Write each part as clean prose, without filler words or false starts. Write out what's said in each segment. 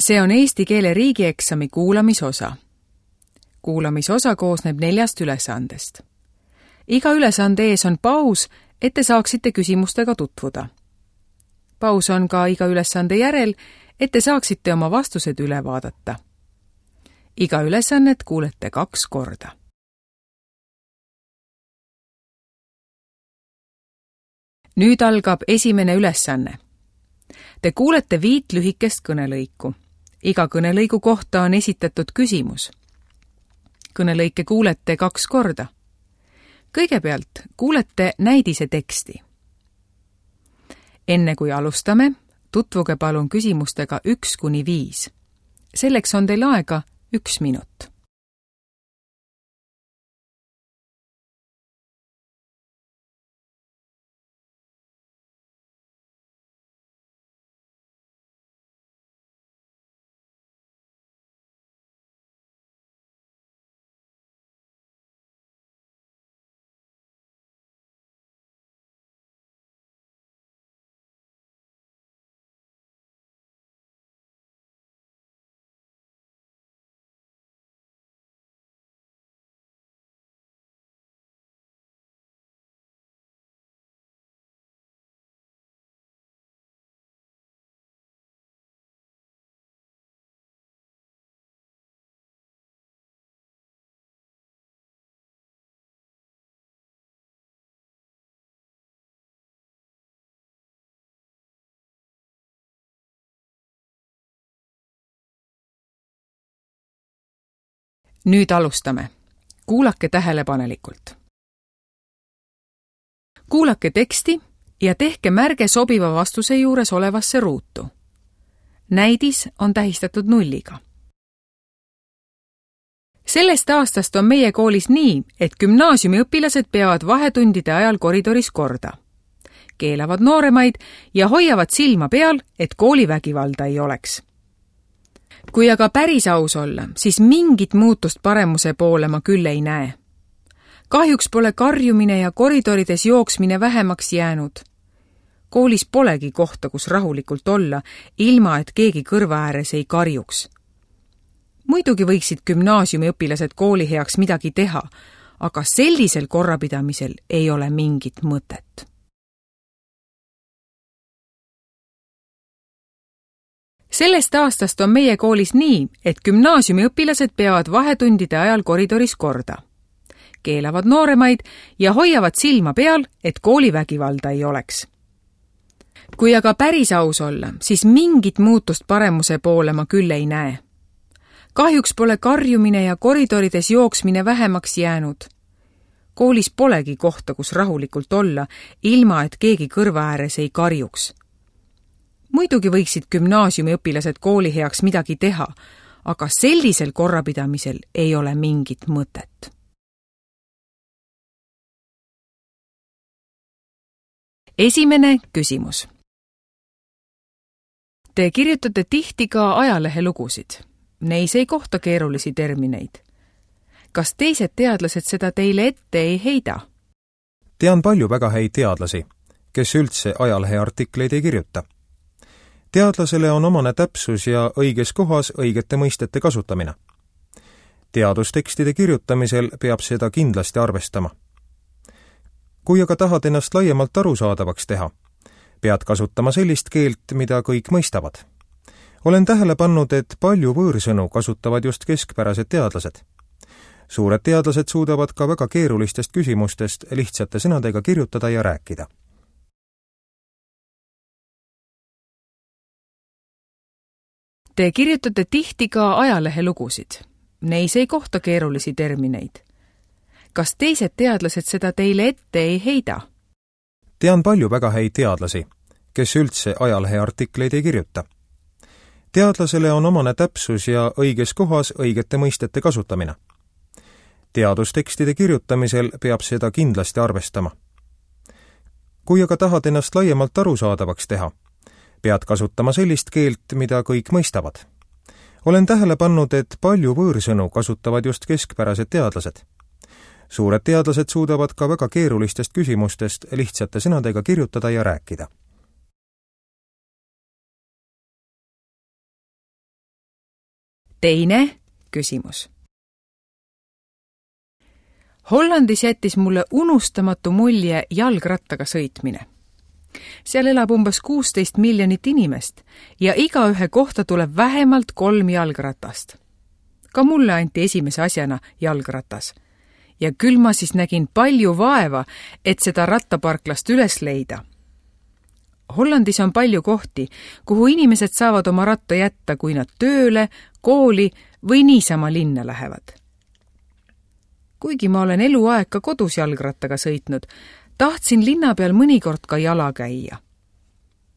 See on eesti keele riigieksami kuulamisosa. Kuulamisosa koosneb 4 ülesandest. Iga ülesande ees on paus, et te saaksite küsimustega tutvuda. Paus on ka iga ülesande järel, et te saaksite oma vastused üle vaadata. Iga ülesannet kuulete 2 korda. Nüüd algab esimene ülesanne. Te kuulete 5 lühikest kõnelõiku. Iga kõnelõigu kohta on esitatud küsimus. Kõnelõike kuulete 2 korda. Kõigepealt kuulete näidise teksti. Enne kui alustame, tutvuge palun küsimustega 1–5. Selleks on teil aega 1 minut. Nüüd alustame. Kuulake tähelepanelikult. Kuulake teksti ja tehke märge sobiva vastuse juures olevasse ruutu. Näidis on tähistatud 0-ga. Sellest aastast on meie koolis nii, et gümnaasiumiõpilased peavad vahetundide ajal koridoris korda. Keelavad nooremaid ja hoiavad silma peal, et koolivägivalda ei oleks. Kui aga päris aus olla, siis mingit muutust paremuse poole ma küll ei näe. Kahjuks pole karjumine ja koridorides jooksmine vähemaks jäänud. Koolis polegi kohta, kus rahulikult olla, ilma et keegi kõrva ääres ei karjuks. Muidugi võiksid gümnaasiumiõpilased kooli heaks midagi teha, aga sellisel korrapidamisel ei ole mingit mõtet. Sellest aastast on meie koolis nii, et gümnaasiumiõpilased peavad vahetundide ajal koridoris korda. Keelavad nooremaid ja hoiavad silma peal, et koolivägivalda ei oleks. Kui aga päris aus olla, siis mingit muutust paremuse poole ma küll ei näe. Kahjuks pole karjumine ja koridorides jooksmine vähemaks jäänud. Koolis polegi kohta, kus rahulikult olla, ilma et keegi kõrva ääres ei karjuks. Muidugi võiksid gümnaasiumiõpilased kooli heaks midagi teha, aga sellisel korrapidamisel ei ole mingit mõtet. Esimene küsimus. Te kirjutate tihti ka ajalehelugusid. Neis ei kohta keerulisi termineid. Kas teised teadlased seda teile ette ei heida? Tean palju väga häid teadlasi, kes üldse ajaleheartikleid ei kirjuta. Teadlasele on omane täpsus ja õiges kohas õigete mõistete kasutamine. Teadustekstide kirjutamisel peab seda kindlasti arvestama. Kui aga tahad ennast laiemalt arusaadavaks teha, pead kasutama sellist keelt, mida kõik mõistavad. Olen tähele pannud, et palju võõrsõnu kasutavad just keskpärased teadlased. Suured teadlased suudavad ka väga keerulistest küsimustest lihtsate sõnadega kirjutada ja rääkida. Te kirjutate tihti ka ajalehelugusid. Neis ei kohta keerulisi termineid. Kas teised teadlased seda teile ette ei heida? Tean palju väga häid teadlasi, kes üldse ajaleheartikleid ei kirjuta. Teadlasele on omane täpsus ja õiges kohas õigete mõistete kasutamine. Teadustekstide kirjutamisel peab seda kindlasti arvestama. Kui aga tahad ennast laiemalt arusaadavaks teha, pead kasutama sellist keelt, mida kõik mõistavad. Olen tähele pannud, et palju võõrsõnu kasutavad just keskpärased teadlased. Suured teadlased suudavad ka väga keerulistest küsimustest lihtsate sõnadega kirjutada ja rääkida. Teine küsimus. Hollandis jättis mulle unustamatu mulje jalgrattaga sõitmine. Seal elab umbes 16 miljonit inimest ja igaühe kohta tuleb vähemalt 3 jalgratast. Ka mulle anti esimese asjana jalgratas. Ja küll ma siis nägin palju vaeva, et seda rattaparklast üles leida. Hollandis on palju kohti, kuhu inimesed saavad oma ratta jätta, kui nad tööle, kooli või niisama linna lähevad. Kuigi ma olen eluaeg ka kodus jalgrattaga sõitnud, tahtsin linna peal mõnikord ka jala käia.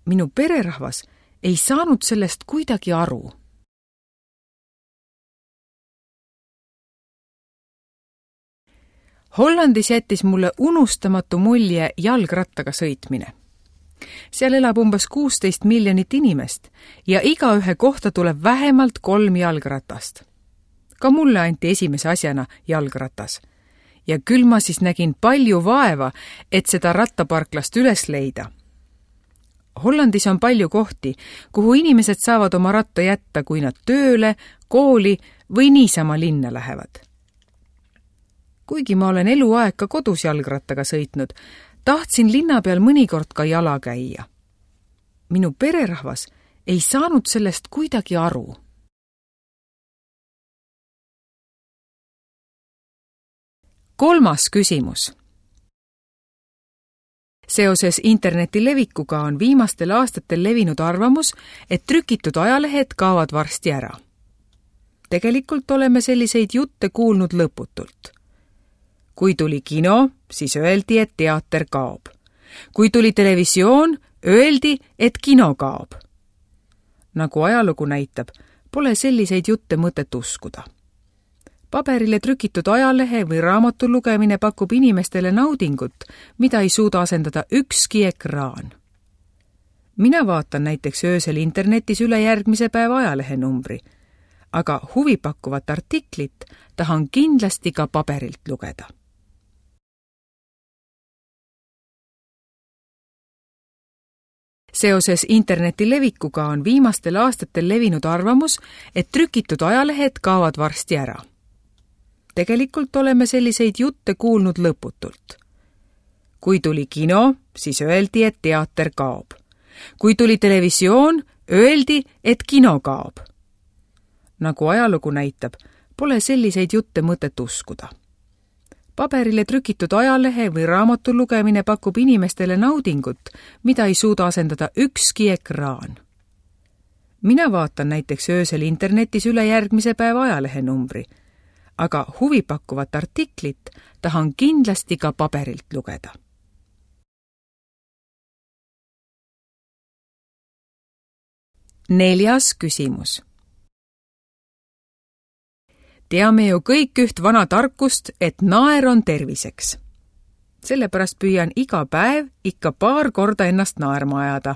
Minu pererahvas ei saanud sellest kuidagi aru. Hollandis jättis mulle unustamatu mulje jalgrattaga sõitmine. Seal elab umbes 16 miljonit inimest ja igaühe kohta tuleb vähemalt 3 jalgratast. Ka mulle anti esimese asjana jalgratas. Ja küll ma siis nägin palju vaeva, et seda rattaparklast üles leida. Hollandis on palju kohti, kuhu inimesed saavad oma ratta jätta, kui nad tööle, kooli või niisama linna lähevad. Kuigi ma olen eluaeg ka kodus jalgrattaga sõitnud, tahtsin linna peal mõnikord ka jala käia. Minu pererahvas ei saanud sellest kuidagi aru. Kolmas küsimus. Seoses interneti levikuga on viimastel aastatel levinud arvamus, et trükitud ajalehed kaovad varsti ära. Tegelikult oleme selliseid jutte kuulnud lõputult. Kui tuli kino, siis öeldi, et teater kaob. Kui tuli televisioon, öeldi, et kino kaob. Nagu ajalugu näitab, pole selliseid jutte mõtet uskuda. Paberile trükitud ajalehe või raamatu lugemine pakub inimestele naudingut, mida ei suuda asendada ükski ekraan. Mina vaatan näiteks öösel internetis üle järgmise päeva ajalehenumbri, aga huvipakkuvat artiklit tahan kindlasti ka paberilt lugeda. Seoses interneti levikuga on viimastel aastatel levinud arvamus, et trükitud ajalehed kaovad varsti ära. Tegelikult oleme selliseid jutte kuulnud lõputult. Kui tuli kino, siis öeldi, et teater kaob. Kui tuli televisioon, öeldi, et kino kaob. Nagu ajalugu näitab, pole selliseid jutte mõtet uskuda. Paberile trükitud ajalehe või raamatu lugemine pakub inimestele naudingut, mida ei suuda asendada ükski ekraan. Mina vaatan näiteks öösel internetis üle järgmise päeva ajalehenumbri, aga huvipakkuvat artiklit tahan kindlasti ka paberilt lugeda. Neljas küsimus. Teame ju kõik üht vana tarkust, et naer on terviseks. Sellepärast püüan iga päev ikka paar korda ennast naerma ajada.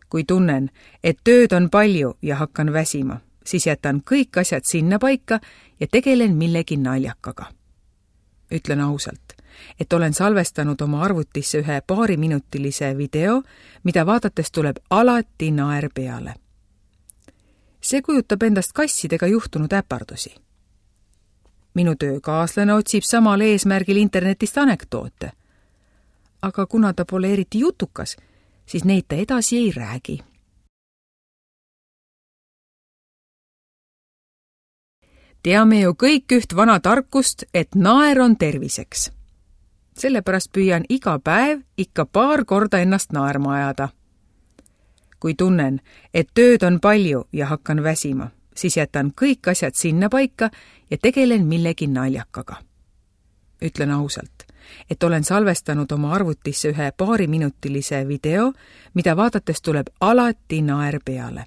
Kui tunnen, et tööd on palju ja hakkan väsima, siis jätan kõik asjad sinna paika ja tegelen millegi naljakaga. Ütlen ausalt, et olen salvestanud oma arvutisse ühe paariminutilise video, mida vaadates tuleb alati naer peale. See kujutab endast kassidega juhtunud äpardusi. Minu töökaaslane otsib samal eesmärgil internetist anekdoote. Aga kuna ta pole eriti jutukas, siis neid ta edasi ei räägi. Teame ju kõik üht vana tarkust, et naer on terviseks. Sellepärast püüan iga päev ikka paar korda ennast naerma ajada. Kui tunnen, et tööd on palju ja hakkan väsima, siis jätan kõik asjad sinna paika ja tegelen millegi naljakaga. Ütlen ausalt, et olen salvestanud oma arvutisse ühe paariminutilise video, mida vaadates tuleb alati naer peale.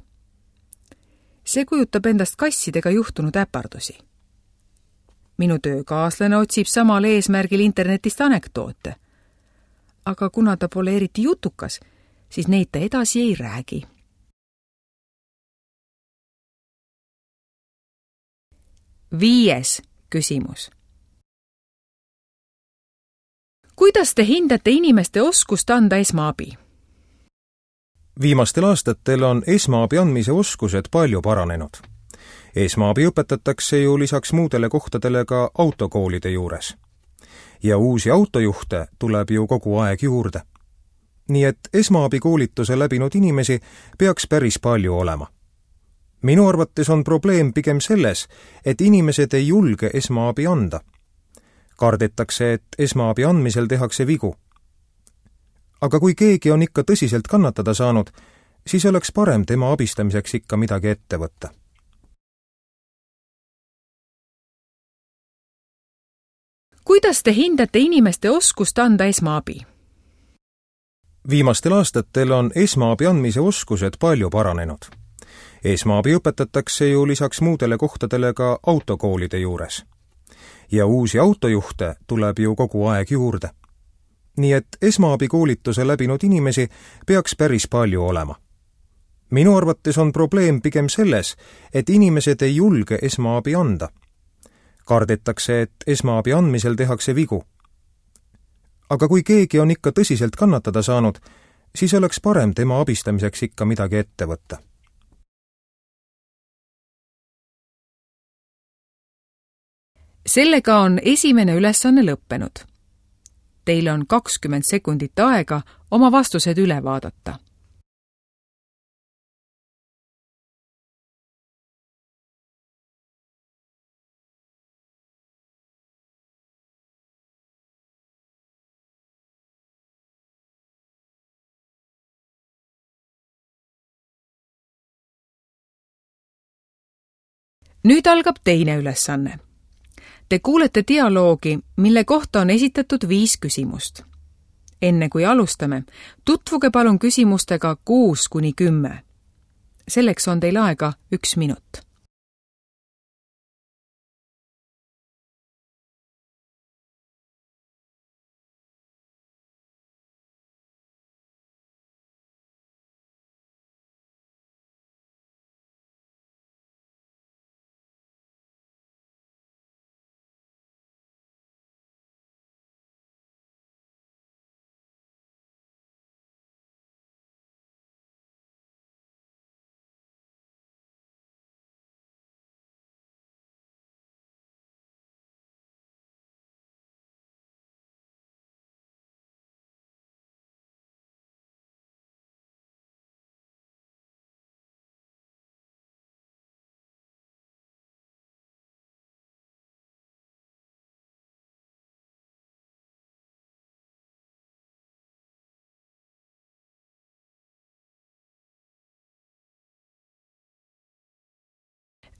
See kujutab endast kassidega juhtunud äpardusi. Minu töökaaslane otsib samal eesmärgil internetist anekdoote. Aga kuna ta pole eriti jutukas, siis neid ta edasi ei räägi. Viies küsimus. Kuidas te hindate inimeste oskust anda esmaabi? Viimastel aastatel on esmaabi andmise oskused palju paranenud. Esmaabi õpetatakse ju lisaks muudele kohtadele ka autokoolide juures. Ja uusi autojuhte tuleb ju kogu aeg juurde. Nii et esmaabikoolituse läbinud inimesi peaks päris palju olema. Minu arvates on probleem pigem selles, et inimesed ei julge esmaabi anda. Kardetakse, et esmaabi andmisel tehakse vigu. Aga kui keegi on ikka tõsiselt kannatada saanud, siis oleks parem tema abistamiseks ikka midagi ette võtta. Kuidas te hindate inimeste oskust anda esmaabi? Viimastel aastatel on esmaabi andmise oskused palju paranenud. Esmaabi õpetatakse ju lisaks muudele kohtadele ka autokoolide juures. Ja uusi autojuhte tuleb ju kogu aeg juurde. Nii et esmaabikoolituse läbinud inimesi peaks päris palju olema. Minu arvates on probleem pigem selles, et inimesed ei julge esmaabi anda. Kardetakse, et esmaabi andmisel tehakse vigu. Aga kui keegi on ikka tõsiselt kannatada saanud, siis oleks parem tema abistamiseks ikka midagi ette võtta. Sellega on esimene ülesanne lõppenud. Teil on 20 sekundit aega oma vastused üle vaadata. Nüüd algab teine ülesanne. Te kuulete dialoogi, mille kohta on esitatud 5 küsimust. Enne kui alustame, tutvuge palun küsimustega 6–10. Selleks on teil aega 1 minut.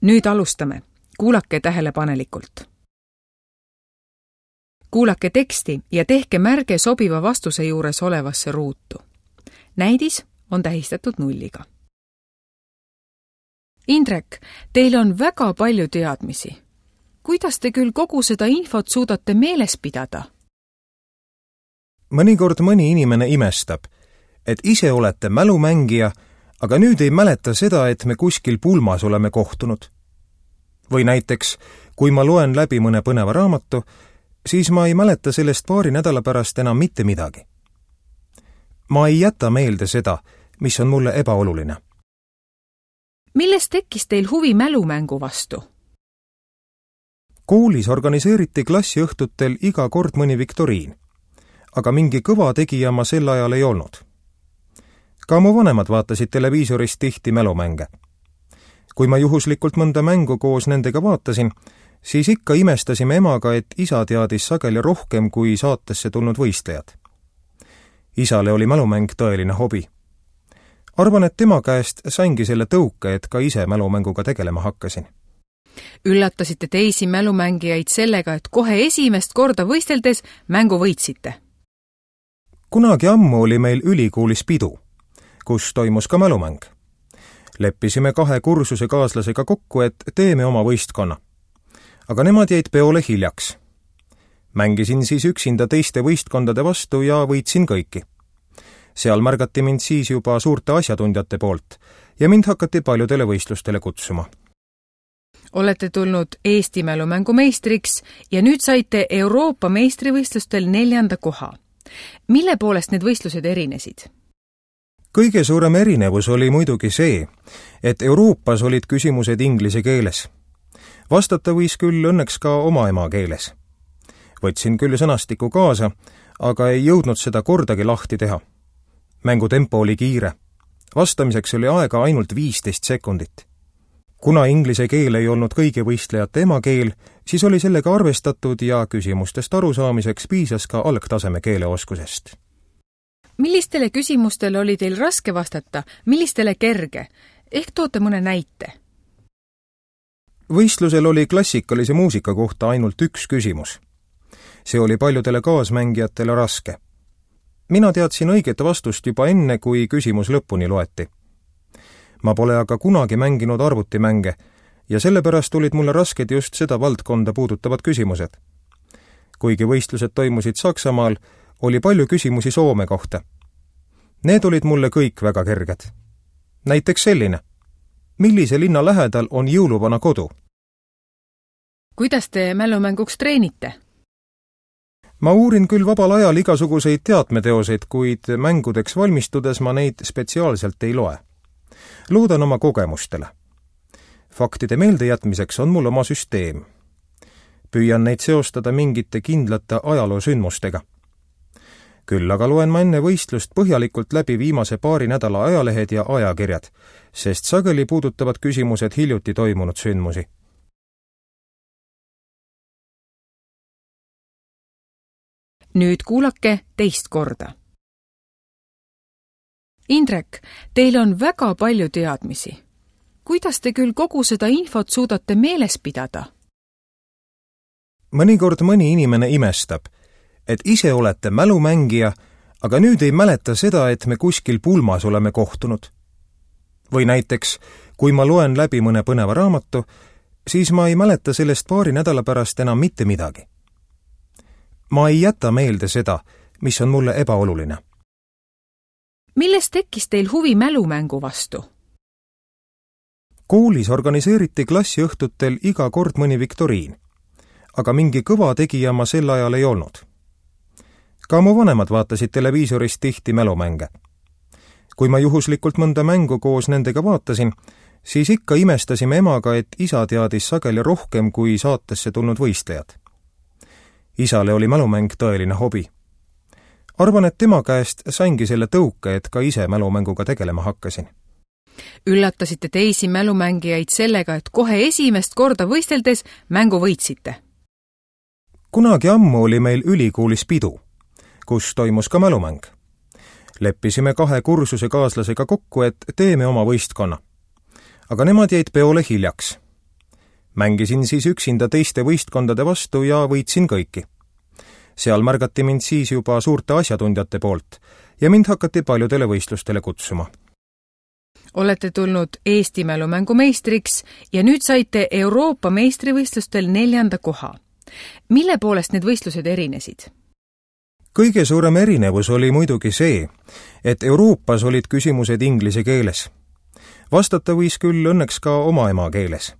Nüüd alustame. Kuulake tähelepanelikult. Kuulake teksti ja tehke märge sobiva vastuse juures olevasse ruutu. Näidis on tähistatud 0. Indrek, teil on väga palju teadmisi. Kuidas te küll kogu seda infot suudate meeles pidada? Mõnikord mõni inimene imestab, et ise olete mälumängija, aga nüüd ei mäleta seda, et me kuskil pulmas oleme kohtunud. Või näiteks, kui ma loen läbi mõne põneva raamatu, siis ma ei mäleta sellest 2 nädala pärast enam mitte midagi. Ma ei jäta meelde seda, mis on mulle ebaoluline. Millest tekkis teil huvi mälumängu vastu? Koolis organiseeriti klassiõhtutel iga kord mõni viktoriin, aga mingi kõva tegija ma sel ajal ei olnud. Ka mu vanemad vaatasid televiisorist tihti mälumänge. Kui ma juhuslikult mõnda mängu koos nendega vaatasin, siis ikka imestasime emaga, et isa teadis sageli rohkem kui saatesse tulnud võistlejad. Isale oli mälumäng tõeline hobi. Arvan, et tema käest saingi selle tõuke, et ka ise mälumänguga tegelema hakkasin. Üllatasite teisi mälumängijaid sellega, et kohe esimest korda võisteldes mängu võitsite. Kunagi ammu oli meil ülikoolis pidu, kus toimus ka mälumäng. Leppisime 2 kursuse kaaslasega kokku, et teeme oma võistkonna. Aga nemad jäid peole hiljaks. Mängisin siis üksinda teiste võistkondade vastu ja võitsin kõiki. Seal märgati mind siis juba suurte asjatundjate poolt ja mind hakati paljudele võistlustele kutsuma. Olete tulnud Eesti mälumängu meistriks ja nüüd saite Euroopa meistrivõistlustel 4. koha. Mille poolest need võistlused erinesid? Kõige suurem erinevus oli muidugi see, et Euroopas olid küsimused inglise keeles. Vastata võis küll õnneks ka oma emakeeles. Võtsin küll sõnastiku kaasa, aga ei jõudnud seda kordagi lahti teha. Mängu tempo oli kiire. Vastamiseks oli aega ainult 15 sekundit. Kuna inglise keel ei olnud kõigi võistlejate emakeel, siis oli sellega arvestatud ja küsimustest arusaamiseks piisas ka algtaseme keeleoskusest. Millistele küsimustele oli teil raske vastata, millistele kerge? Ehk toote mõne näite? Võistlusel oli klassikalise muusika kohta ainult üks küsimus. See oli paljudele kaasmängijatele raske. Mina teadsin õiget vastust juba enne, kui küsimus lõpuni loeti. Ma pole aga kunagi mänginud arvutimänge ja sellepärast olid mulle rasked just seda valdkonda puudutavad küsimused. Kuigi võistlused toimusid Saksamaal, oli palju küsimusi Soome kohta. Need olid mulle kõik väga kerged. Näiteks selline. Millise linna lähedal on jõuluvana kodu? Kuidas te mälumänguks treenite? Ma uurin küll vabal ajal igasuguseid teadmeteoseid, kuid mängudeks valmistudes ma neid spetsiaalselt ei loe. Loodan oma kogemustele. Faktide meeldejätmiseks on mul oma süsteem. Püüan neid seostada mingite kindlate ajaloosündmustega. Küll aga loen ma enne võistlust põhjalikult läbi viimase paari nädala ajalehed ja ajakirjad, sest sageli puudutavad küsimused hiljuti toimunud sündmusi. Nüüd kuulake teist korda. Indrek, teil on väga palju teadmisi. Kuidas te küll kogu seda infot suudate meeles pidada? Mõnikord mõni inimene imestab, et ise olete mälumängija, aga nüüd ei mäleta seda, et me kuskil pulmas oleme kohtunud. Või näiteks, kui ma loen läbi mõne põneva raamatu, siis ma ei mäleta sellest paari nädala pärast enam mitte midagi. Ma ei jäta meelde seda, mis on mulle ebaoluline. Millest tekkis teil huvi mälumängu vastu? Koolis organiseeriti klassiõhtutel iga kord mõni viktoriin, aga mingi kõva tegija ma sel ajal ei olnud. Ka mu vanemad vaatasid televiisorist tihti mälumänge. Kui ma juhuslikult mõnda mängu koos nendega vaatasin, siis ikka imestasime emaga, et isa teadis sageli rohkem kui saatesse tulnud võistlejad. Isale oli mälumäng tõeline hobi. Arvan, et tema käest saingi selle tõuke, et ka ise mälumänguga tegelema hakkasin. Üllatasite teisi mälumängijaid sellega, et kohe esimest korda võisteldes mängu võitsite. Kunagi ammu oli meil ülikoolis pidu, kus toimus ka mälumäng. Leppisime 2 kursuse kaaslasega kokku, et teeme oma võistkonna. Aga nemad jäid peole hiljaks. Mängisin siis üksinda teiste võistkondade vastu ja võitsin kõiki. Seal märgati mind siis juba suurte asjatundjate poolt ja mind hakati paljudele võistlustele kutsuma. Olete tulnud Eesti mälumängu meistriks ja nüüd saite Euroopa meistrivõistlustel 4. koha. Mille poolest need võistlused erinesid? Kõige suurem erinevus oli muidugi see, et Euroopas olid küsimused inglise keeles. Vastata võis küll õnneks ka oma emakeeles.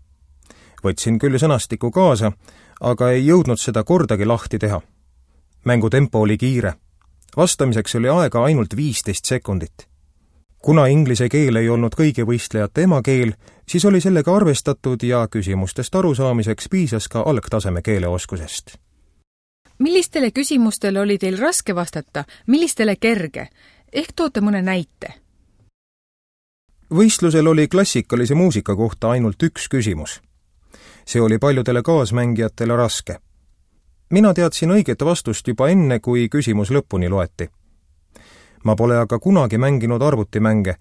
Võtsin küll sõnastiku kaasa, aga ei jõudnud seda kordagi lahti teha. Mängu tempo oli kiire. Vastamiseks oli aega ainult 15 sekundit. Kuna inglise keel ei olnud kõigi võistlejate emakeel, siis oli sellega arvestatud ja küsimustest arusaamiseks piisas ka algtaseme keeleoskusest. Millistele küsimustele oli teil raske vastata, millistele kerge? Ehk toote mõne näite? Võistlusel oli klassikalise muusika kohta ainult üks küsimus. See oli paljudele kaasmängijatele raske. Mina teadsin õiget vastust juba enne, kui küsimus lõpuni loeti. Ma pole aga kunagi mänginud arvutimänge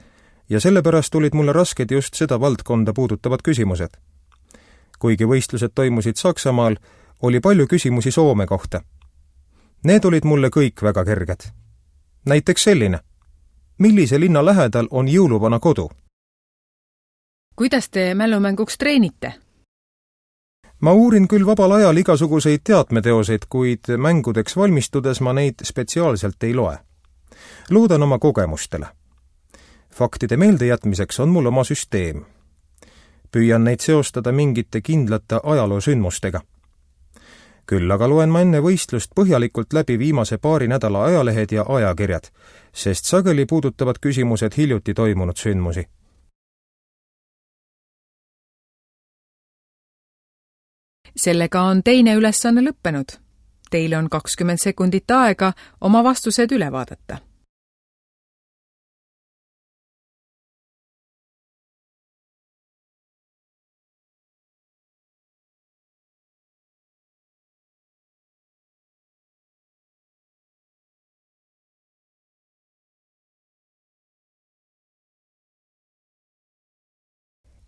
ja sellepärast olid mulle rasked just seda valdkonda puudutavad küsimused. Kuigi võistlused toimusid Saksamaal, oli palju küsimusi Soome kohta. Need olid mulle kõik väga kerged. Näiteks selline. Millise linna lähedal on jõuluvana kodu? Kuidas te mälumänguks treenite? Ma uurin küll vabal ajal igasuguseid teadmeteoseid, kuid mängudeks valmistudes ma neid spetsiaalselt ei loe. Loodan oma kogemustele. Faktide meeldejätmiseks on mul oma süsteem. Püüan neid seostada mingite kindlate ajaloosündmustega. Küll aga loen ma enne võistlust põhjalikult läbi viimase paari nädala ajalehed ja ajakirjad, sest sageli puudutavad küsimused hiljuti toimunud sündmusi. Sellega on teine ülesanne lõppenud. Teile on 20 sekundit aega oma vastused üle vaadata.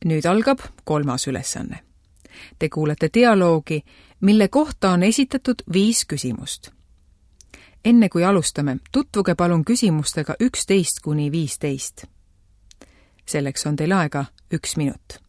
Nüüd algab 3. ülesanne. Te kuulete dialoogi, mille kohta on esitatud 5 küsimust. Enne kui alustame, tutvuge palun küsimustega 11–15. Selleks on teil aega 1 minut.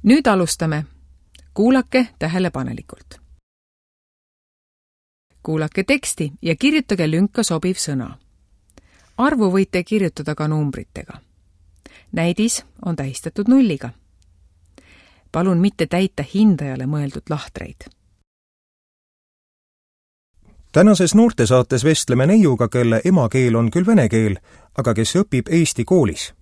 Nüüd alustame. Kuulake tähelepanelikult. Kuulake teksti ja kirjutage lünka sobiv sõna. Arvu võite kirjutada ka numbritega. Näidis on tähistatud 0. Palun mitte täita hindajale mõeldud lahtreid. Tänases noortesaates vestleme neiuga, kelle emakeel on küll vene keel, aga kes õpib Eesti koolis.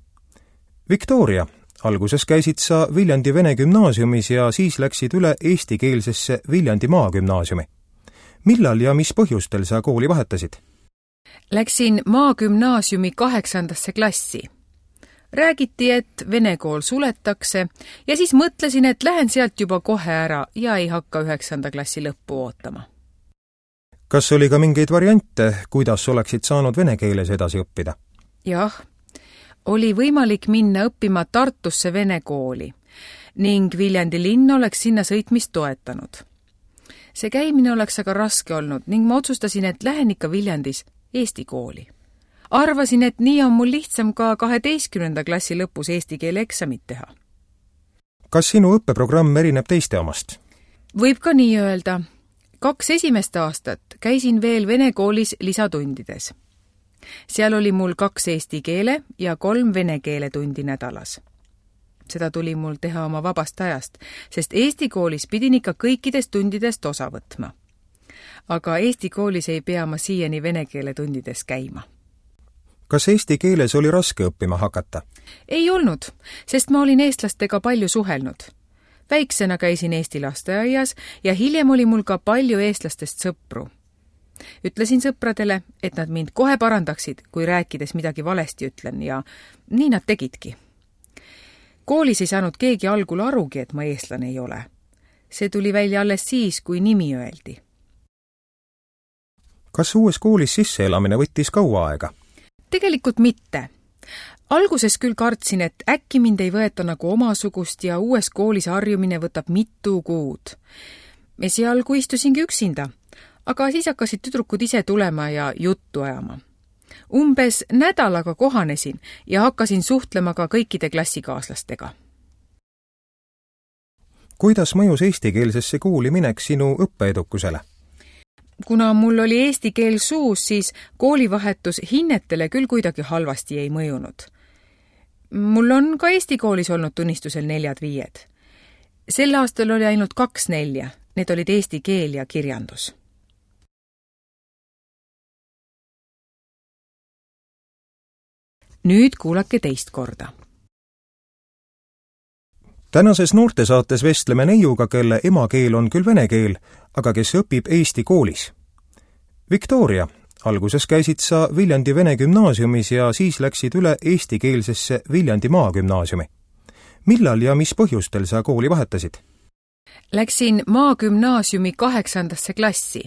Viktoria, alguses käisid sa Viljandi Vene Gümnaasiumis ja siis läksid üle eestikeelsesse Viljandi Maagümnaasiumi. Millal ja mis põhjustel sa kooli vahetasid? Läksin Maagümnaasiumi 8. klassi. Räägiti, et vene kool suletakse ja siis mõtlesin, et lähen sealt juba kohe ära ja ei hakka 9. klassi lõppu ootama. Kas oli ka mingeid variante, kuidas oleksid saanud vene keeles edasi õppida? Jah, oli võimalik minna õppima Tartusse vene kooli ning Viljandi linn oleks sinna sõitmist toetanud. See käimine oleks aga raske olnud ning ma otsustasin, et lähen ikka Viljandis Eesti kooli. Arvasin, et nii on mul lihtsam ka 12. klassi lõpus eesti keele eksamit teha. Kas sinu õppeprogramm erineb teiste omast? Võib ka nii öelda. 2 esimest aastat käisin veel vene koolis lisatundides. Seal oli mul 2 eesti keele ja 3 vene keele tundi nädalas. Seda tuli mul teha oma vabast ajast, sest Eesti koolis pidin ikka kõikidest tundidest osa võtma. Aga Eesti koolis ei pea ma siiani vene keele tundides käima. Kas eesti keeles oli raske õppima hakata? Ei olnud, sest ma olin eestlastega palju suhelnud. Väiksena käisin Eesti lasteaias ja hiljem oli mul ka palju eestlastest sõpru. Ütlesin sõpradele, et nad mind kohe parandaksid, kui rääkides midagi valesti ütlen ja nii nad tegidki. Koolis ei saanud keegi algul arugi, et ma eestlane ei ole. See tuli välja alles siis, kui nimi öeldi. Kas uues koolis sisseelamine võttis kaua aega? Tegelikult mitte. Alguses küll kartsin, et äkki mind ei võeta nagu omasugust ja uues koolis harjumine võtab mitu kuud. Esialgu istusingi üksinda, aga siis hakkasid tüdrukud ise tulema ja juttu ajama. Umbes nädalaga kohanesin ja hakkasin suhtlema ka kõikide klassikaaslastega. Kuidas mõjus eestikeelsesse kooli minek sinu õppeedukusele? Kuna mul oli eesti keel suus, siis koolivahetus hinnetele küll kuidagi halvasti ei mõjunud. Mul on ka Eesti koolis olnud tunnistusel 4-5. Sel aastal oli ainult 2 4. Need olid eesti keel ja kirjandus. Nüüd kuulake teist korda. Tänases noortesaates vestleme neiuga, kelle emakeel on küll vene keel, aga kes õpib Eesti koolis. Viktoria, alguses käisid sa Viljandi Vene Gümnaasiumis ja siis läksid üle eestikeelsesse Viljandi Maagümnaasiumi. Millal ja mis põhjustel sa kooli vahetasid? Läksin Maagümnaasiumi 8. klassi.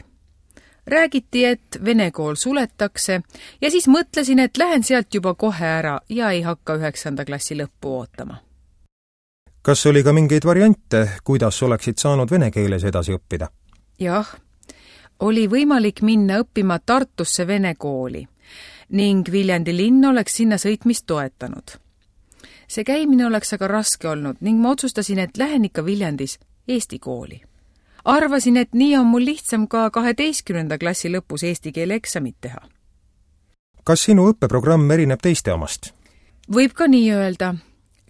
Räägiti, et vene kool suletakse ja siis mõtlesin, et lähen sealt juba kohe ära ja ei hakka 9. klassi lõppu ootama. Kas oli ka mingeid variante, kuidas oleksid saanud vene keeles edasi õppida? Jah, oli võimalik minna õppima Tartusse vene kooli ning Viljandi linn oleks sinna sõitmist toetanud. See käimine oleks aga raske olnud ning ma otsustasin, et lähen ikka Viljandis Eesti kooli. Arvasin, et nii on mul lihtsam ka 12. klassi lõpus eesti keele eksamit teha. Kas sinu õppeprogramm erineb teiste omast? Võib ka nii öelda.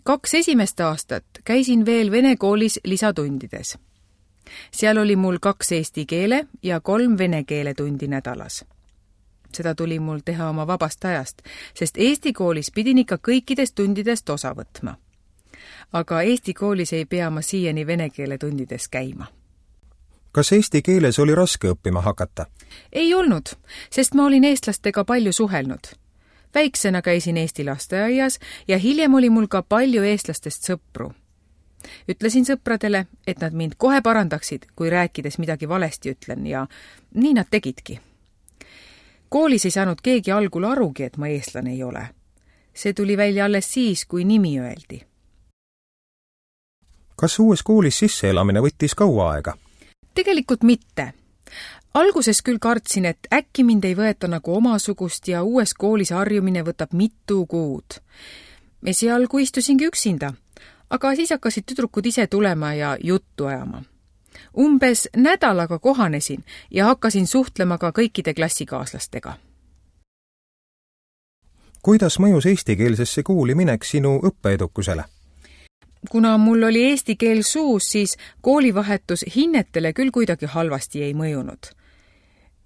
2 esimest aastat käisin veel vene koolis lisatundides. Seal oli mul 2 eesti keele ja 3 vene keele tundi nädalas. Seda tuli mul teha oma vabast ajast, sest Eesti koolis pidin ikka kõikidest tundidest osa võtma. Aga Eesti koolis ei pea ma siiani vene keele tundides käima. Kas eesti keeles oli raske õppima hakata? Ei olnud, sest ma olin eestlastega palju suhelnud. Väiksena käisin Eesti lasteaias ja hiljem oli mul ka palju eestlastest sõpru. Ütlesin sõpradele, et nad mind kohe parandaksid, kui rääkides midagi valesti ütlen ja nii nad tegidki. Koolis ei saanud keegi algul arugi, et ma eestlane ei ole. See tuli välja alles siis, kui nimi öeldi. Kas uues koolis sisseelamine võttis kaua aega? Tegelikult mitte. Alguses küll kartsin, et äkki mind ei võeta nagu omasugust ja uues koolis harjumine võtab mitu kuud. Esialgu istusingi üksinda, aga siis hakkasid tüdrukud ise tulema ja juttu ajama. Umbes nädalaga kohanesin ja hakkasin suhtlema ka kõikide klassikaaslastega. Kuidas mõjus eestikeelsesse kooli minek sinu õppeedukusele? Kuna mul oli eesti keel suus, siis koolivahetus hinnetele küll kuidagi halvasti ei mõjunud.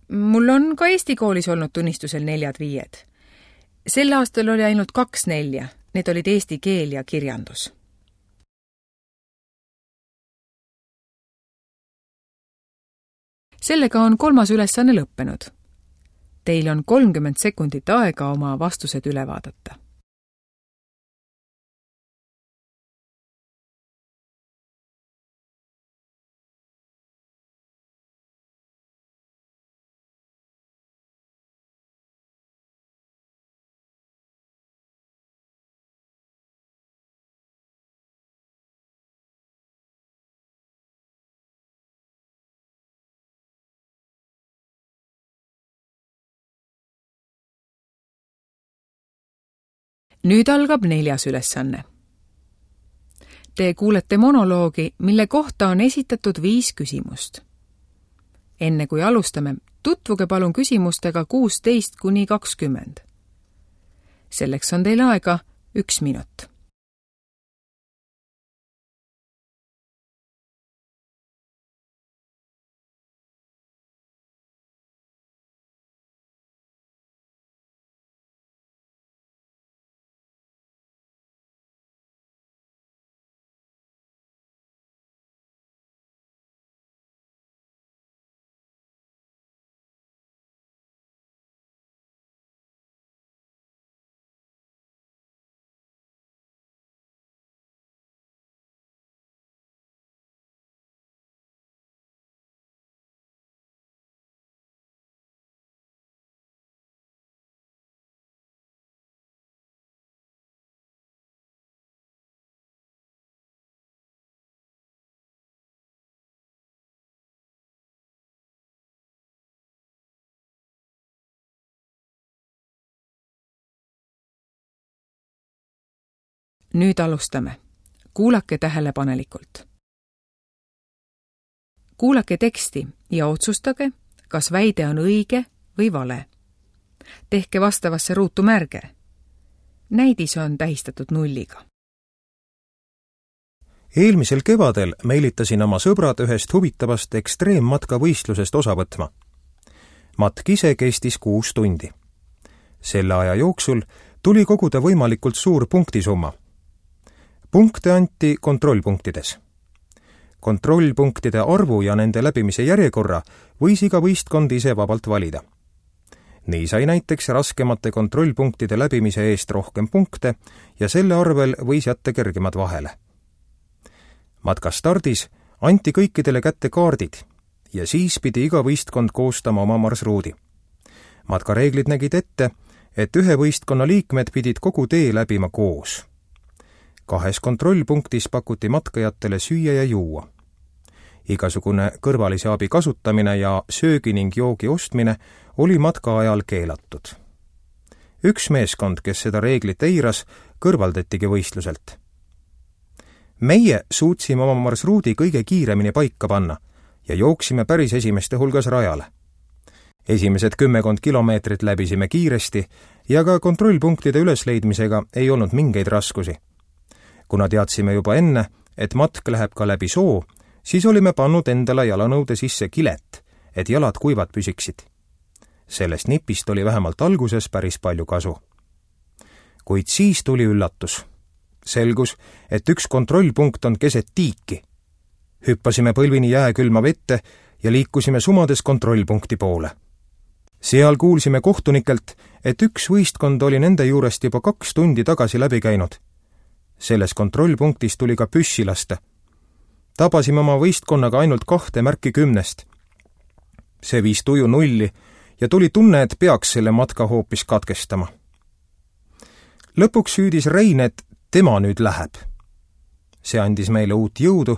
Mul on ka Eesti koolis olnud tunnistusel 4-5. Sel aastal oli ainult 2 4, need olid eesti keel ja kirjandus. Sellega on 3. ülesanne lõppenud. Teil on 30 sekundit aega oma vastused üle vaadata. Nüüd algab 4. ülesanne. Te kuulete monoloogi, mille kohta on esitatud 5 küsimust. Enne kui alustame, tutvuge palun küsimustega 16–20. Selleks on teil aega 1 minut. Nüüd alustame. Kuulake tähelepanelikult. Kuulake teksti ja otsustage, kas väide on õige või vale. Tehke vastavasse ruutu märge. Näidis on tähistatud 0. Eelmisel kevadel meelitasin oma sõbrad ühest huvitavast ekstreemmatkavõistlusest osa võtma. Matk ise kestis 6 tundi. Selle aja jooksul tuli koguda võimalikult suur punktisumma. Punkte anti kontrollpunktides. Kontrollpunktide arvu ja nende läbimise järjekorra võis iga võistkond ise vabalt valida. Nii sai näiteks raskemate kontrollpunktide läbimise eest rohkem punkte ja selle arvel võis jätta kergemad vahele. Matka stardis anti kõikidele kätte kaardid ja siis pidi iga võistkond koostama oma marsruudi. Matkareeglid nägid ette, et ühe võistkonna liikmed pidid kogu tee läbima koos. 2 kontrollpunktis pakuti matkajatele süüa ja juua. Igasugune kõrvalise abi kasutamine ja söögi ning joogi ostmine oli matka ajal keelatud. Üks meeskond, kes seda reeglit eiras, kõrvaldatigi võistluselt. Meie suutsime oma marsruudi kõige kiiremini paika panna ja jooksime päris esimeste hulgas rajale. Esimesed 10 kilomeetrit läbisime kiiresti ja ka kontrollpunktide ülesleidmisega ei olnud mingeid raskusi. Kuna teadsime juba enne, et matk läheb ka läbi soo, siis olime pannud endale jalanõude sisse kilet, et jalad kuivad püsiksid. Sellest nipist oli vähemalt alguses päris palju kasu. Kuid siis tuli üllatus. Selgus, et üks kontrollpunkt on keset tiiki. Hüppasime põlvini jääkülma vette ja liikusime sumades kontrollpunkti poole. Seal kuulsime kohtunikelt, et üks võistkond oli nende juurest juba 2 tundi tagasi läbi käinud. Selles kontrollpunktis tuli ka püssi lasta. Tabasime oma võistkonnaga ainult 2 märki 10. See viis tuju nulli ja tuli tunne, et peaks selle matka hoopis katkestama. Lõpuks süüdis Rein, et tema nüüd läheb. See andis meile uut jõudu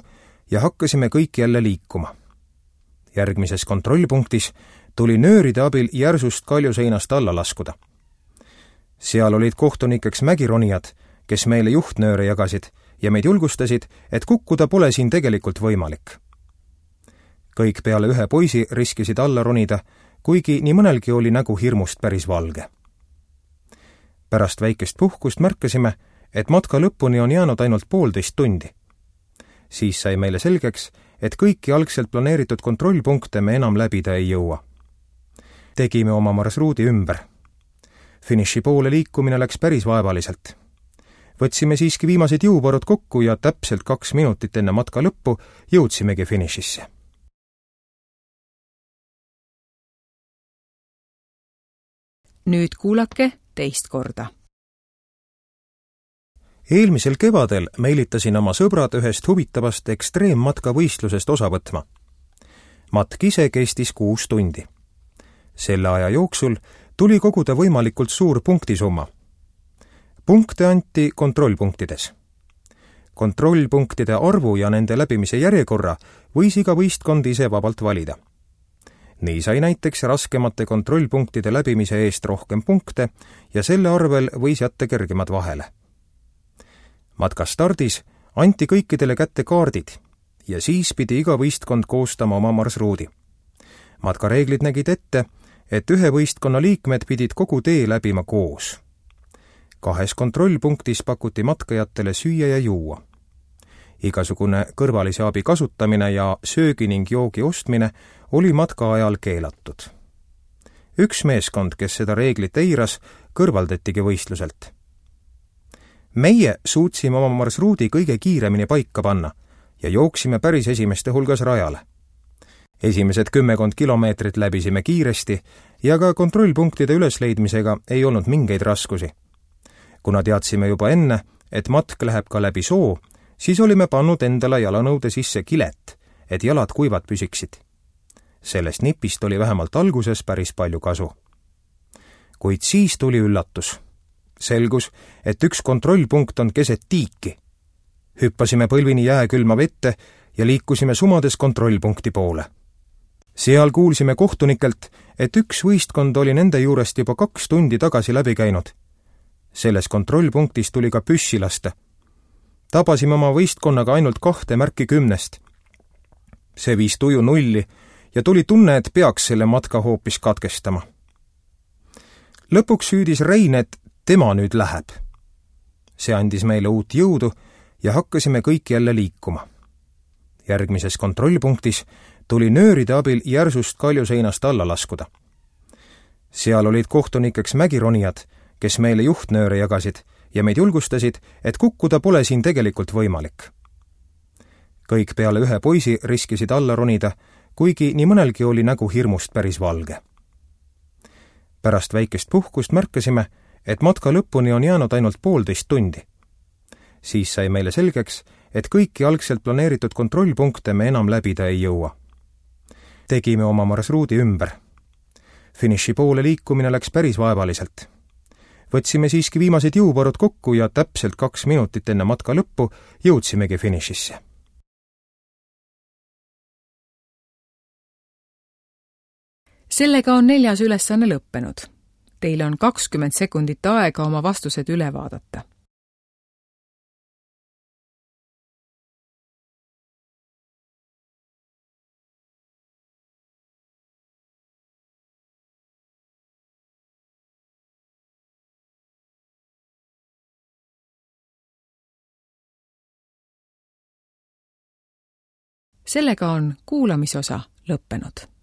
ja hakkasime kõik jälle liikuma. Järgmises kontrollpunktis tuli nööride abil järsust kaljuseinast alla laskuda. Seal olid kohtunikeks mägironijad, kes meile juhtnööre jagasid ja meid julgustasid, et kukkuda pole siin tegelikult võimalik. Kõik peale ühe poisi riskisid alla ronida, kuigi nii mõnelgi oli nägu hirmust päris valge. Pärast väikest puhkust märkasime, et matka lõpuni on jäänud ainult 1,5 tundi. Siis sai meile selgeks, et kõiki algselt planeeritud kontrollpunkte me enam läbida ei jõua. Tegime oma marsruudi ümber. Finiši poole liikumine läks päris vaevaliselt. Võtsime siiski viimased jõuvarud kokku ja täpselt 2 minutit enne matka lõppu jõudsimegi finišisse. Nüüd kuulake teist korda. Eelmisel kevadel meelitasin oma sõbrad ühest huvitavast ekstreemmatka võistlusest osa võtma. Matk ise kestis 6 tundi. Selle aja jooksul tuli koguda võimalikult suur punktisumma. Punkte anti kontrollpunktides. Kontrollpunktide arvu ja nende läbimise järjekorra võis iga võistkond ise vabalt valida. Nii sai näiteks raskemate kontrollpunktide läbimise eest rohkem punkte ja selle arvel võis jätta kergemad vahele. Matka stardis anti kõikidele kätte kaardid ja siis pidi iga võistkond koostama oma marsruudi. Matkareeglid nägid ette, et ühe võistkonna liikmed pidid kogu tee läbima koos. 2 kontrollpunktis pakuti matkajatele süüa ja juua. Igasugune kõrvalise abi kasutamine ja söögi ning joogi ostmine oli matka ajal keelatud. Üks meeskond, kes seda reeglit eiras, kõrvaldatigi võistluselt. Meie suutsime oma marsruudi kõige kiiremini paika panna ja jooksime päris esimeste hulgas rajale. Esimesed 10 kilomeetrit läbisime kiiresti ja ka kontrollpunktide ülesleidmisega ei olnud mingeid raskusi. Kuna teadsime juba enne, et matk läheb ka läbi soo, siis olime pannud endale jalanõude sisse kilet, et jalad kuivad püsiksid. Sellest nipist oli vähemalt alguses päris palju kasu. Kuid siis tuli üllatus. Selgus, et üks kontrollpunkt on keset tiiki. Hüppasime põlvini jääkülma vette ja liikusime sumades kontrollpunkti poole. Seal kuulsime kohtunikelt, et üks võistkond oli nende juurest juba 2 tundi tagasi läbi käinud. Selles kontrollpunktis tuli ka püssi lasta. Tabasime oma võistkonnaga ainult 2 märki 10. See viis tuju nulli ja tuli tunne, et peaks selle matka hoopis katkestama. Lõpuks süüdis Rein, et tema nüüd läheb. See andis meile uut jõudu ja hakkasime kõik jälle liikuma. Järgmises kontrollpunktis tuli nööride abil järsust kaljuseinast alla laskuda. Seal olid kohtunikeks mägironijad, kes meile juhtnööre jagasid ja meid julgustasid, et kukkuda pole siin tegelikult võimalik. Kõik peale ühe poisi riskisid alla ronida, kuigi nii mõnelgi oli nägu hirmust päris valge. Pärast väikest puhkust märkasime, et matka lõpuni on jäänud ainult 1,5 tundi. Siis sai meile selgeks, et kõiki algselt planeeritud kontrollpunkte me enam läbida ei jõua. Tegime oma marsruudi ümber. Finiši poole liikumine läks päris vaevaliselt. Võtsime siiski viimased jõuvarud kokku ja täpselt 2 minutit enne matka lõppu jõudsimegi finišisse. Sellega on 4. ülesanne lõppenud. Teile on 20 sekundit aega oma vastused üle vaadata. Sellega on kuulamisosa lõppenud.